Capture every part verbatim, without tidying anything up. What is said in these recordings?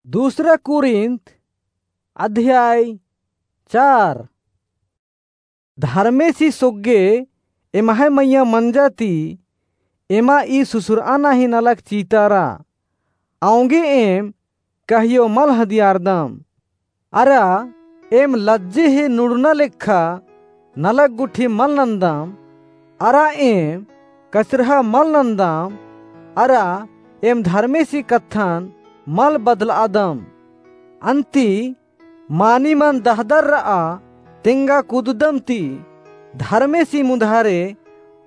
दूसरा कुरिन्थ अध्याय चार। धर्मेसी सोग्गे एम्है मइय्याँ मंजा ती एमा ई सुसुरआना ही नलख चितारा। औंगे एम कहियो मल हदियारदम। अरा एम लज्जे ही नुड़ना लेखा नलख गुट्ठी मल नन्दम। अरा एम कचरहा मल नन्दम। अरा एम धर्मेसी कत्थन मल बदलआदम। अन्ती मानिमन दहदर रआ तेंगा कुददम ती धर्मेसी मुन्धारे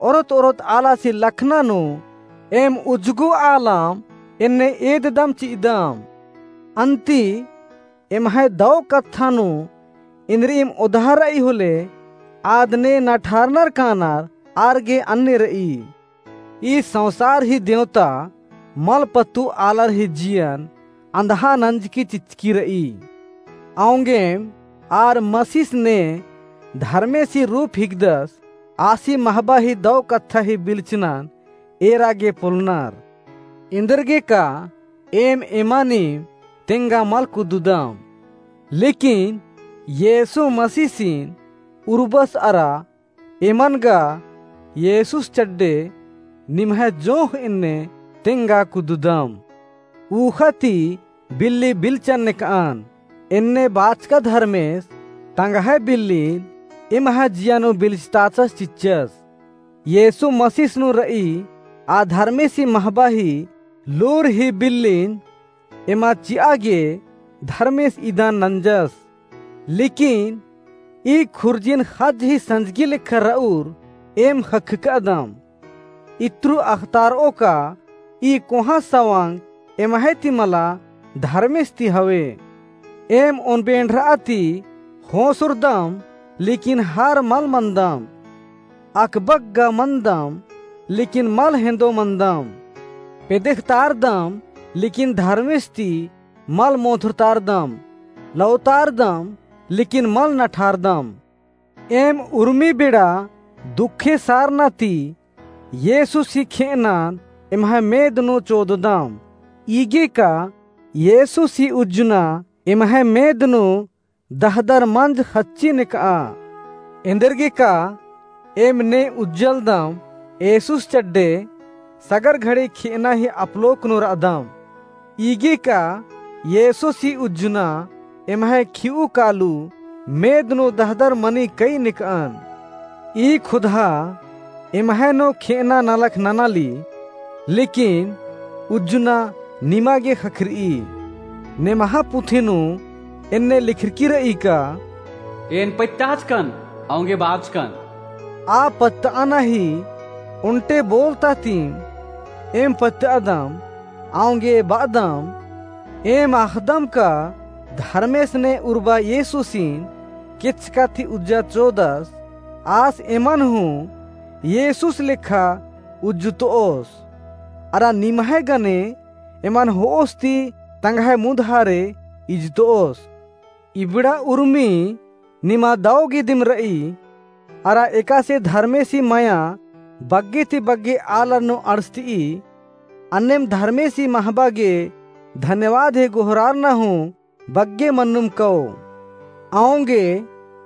ओरोत ओरोत आलासी लखना नू एम उज्जगो आलम एन्ने एददम चिअदम। अन्ती एम्है दौ कत्था नू इन्द्रिइम ओदहा रई होले आद ने नठारनर कानर आर गे अन्ने रई। ई संसार ही देवता मल पत्तु आलर ही जियन अन्धहा नंजकी चिचकी रई। औंगेम आर मसीस ने धर्मेसी रूप हिकदस आसी महबा ही दौ कत्था ही बिल्चनन एरा गे पोलनर। एन्देरगेका एम एमानिम तेंगा मल कुददम। लेकिन येसु मसीसिन उर्बस अरा एमन गा येसुस चड्डे निम्है जोंख़ एन्ने तेंगा कुददम। ऊख़ा ती बिल्ली बिल्चन नेकअन, एन्ने बाचका धर्मेस तंग्है बिल्लिन एम्है जिया नू बिल्चताचस चिच्चस। येसु मसीस नू रई आ धर्मेसी महबा ही लूर ही बिल्लिन एमा चिआ गे धर्मेस इदान नंजस। लेकिन ई खुर्जिन ख़ज्ज ही संजगी लेखा रऊर एम ख़क्खकदम। इत्रु अख़तारओ का ई कोहाँ सवंग एम्है ती मला धर्मेस ती हवे। एम ओन बेंड़रआ ती ख़ोंसुरदम, लेकिन हार मल मन्दम। अकबक गा मन्दम, लेकिन मल हेंदो मन्दम। पेदेख़तारदम, लेकिन धर्मेस ती मल मोंधुरतारदम। लौतारदम, लेकिन मल नठारदम। एम उर्मी बेड़ा दुखे सारना ती येसुस ही खेअनन एम्है मेद नू चोददम। ईगे का येसुस ही उज्जना एम्है मेद नू दहदर मंज ख़च्ची नेकआ। एन्देरगेका एम ने उज्जलदम येसुस चड्डे सगर घड़ी खेअना ही अपलोक नू रअदम। ईगे का येसुस ही उज्जना एम्है खिउ कालू मेद नू दहदर मनी कई नेकअन। ई खुदहा एम्है नू खेअना नलख ननाली, लेकिन उज्जना निमा गे ख़क्खरई। नेम्है पुथी नू एन्ने लिखरकी रई का, एन पत्ताचकन, औंगे बाचकन। आ पत्तअना ही ओन्टे बोलता तीम एम पत्तअदम, औंगे बअदम। एम अख़दम का धर्मेस ने उर्बा येसुसिन केचका ती उज्जा चोदस, आस एमन हूँ येसुस लेखा उज्जुतओस। अरा निम्है गने एमन होओस ती तंग्है मुन्धारे इजतओस। इबड़ा उर्मी निमा दौ गे दिम रई, अरा एकासे धर्मेसी मया बग्गे ती बग्गे आलर नू अंड़सतई। अन्नेम धर्मेसी महबा गे धन्यवाद ही गोहरारना हूँ बग्गे मन्नुम कओ। औंगे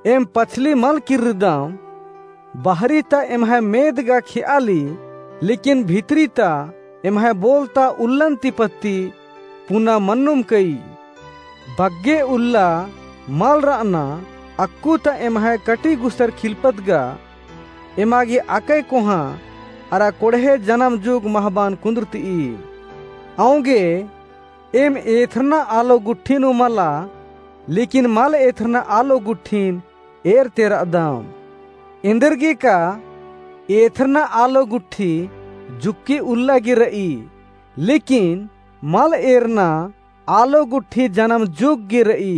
एम पछली मल किर्रदम, बहरी ता एम्है मेद गा खेआली, लेकिन भितरी ता एम्है बोलता उल्लन ती पत्ती पुना मन्नुम कई। बग्गे उल्ला मल रअना, अक्कु ता एम्है कटी गुसर खिलपत गा, एमा गे अकय कोहाँ अरा कोड़हे जनम जुग महबान कुन्दुरतई। औंगे एम एथरना आलो गुट्ठी नू मला, लेकिन मल एथरना आलो गुट्ठिन एरते रअदम। एन्देरगेका एथरना आलो गुट्ठी जुक्की उल्ला गे रई, लेकिन मल एरना आलो गुट्ठी जनम जुग गे रई।